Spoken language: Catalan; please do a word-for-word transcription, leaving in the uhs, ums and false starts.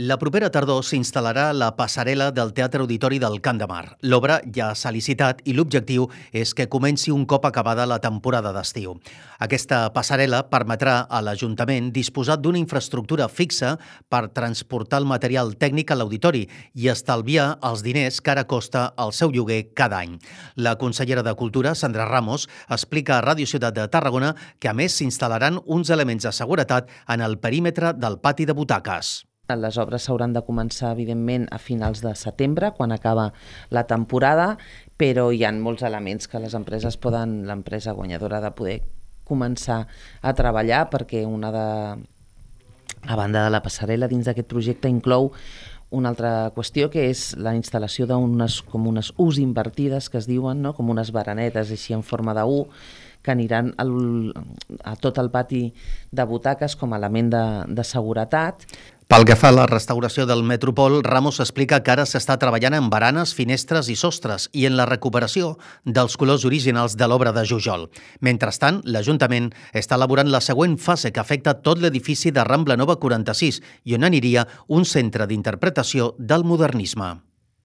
La propera tardor s'instal·larà la passarel·la del Teatre Auditori del Camp de Mar. L'obra ja s'ha licitat i l'objectiu és que comenci un cop acabada la temporada d'estiu. Aquesta passarel·la permetrà a l'Ajuntament disposar d'una infraestructura fixa per transportar el material tècnic a l'auditori i estalviar els diners que ara costa el seu lloguer cada any. La consellera de Cultura, Sandra Ramos, explica a Ràdio Ciutat de Tarragona que a més s'instal·laran uns elements de seguretat en el perímetre del pati de butaques. Les obres s'hauran de començar, evidentment, a finals de setembre, quan acaba la temporada, però hi ha molts elements que les empreses poden, l'empresa guanyadora de poder començar a treballar, perquè una de, a banda de la passarel·la dins d'aquest projecte inclou una altra qüestió, que és la instal·lació d'unes com unes U's invertides, que es diuen, no? Com unes baranetes així en forma de U, que aniran al, a tot el pati de butaques com a element de, de seguretat. Pel que fa a la restauració del Metropol, Ramos explica que ara s'està treballant en baranes, finestres i sostres i en la recuperació dels colors originals de l'obra de Jujol. Mentrestant, l'Ajuntament està elaborant la següent fase que afecta tot l'edifici de Rambla Nova quaranta-sis i on aniria un centre d'interpretació del modernisme.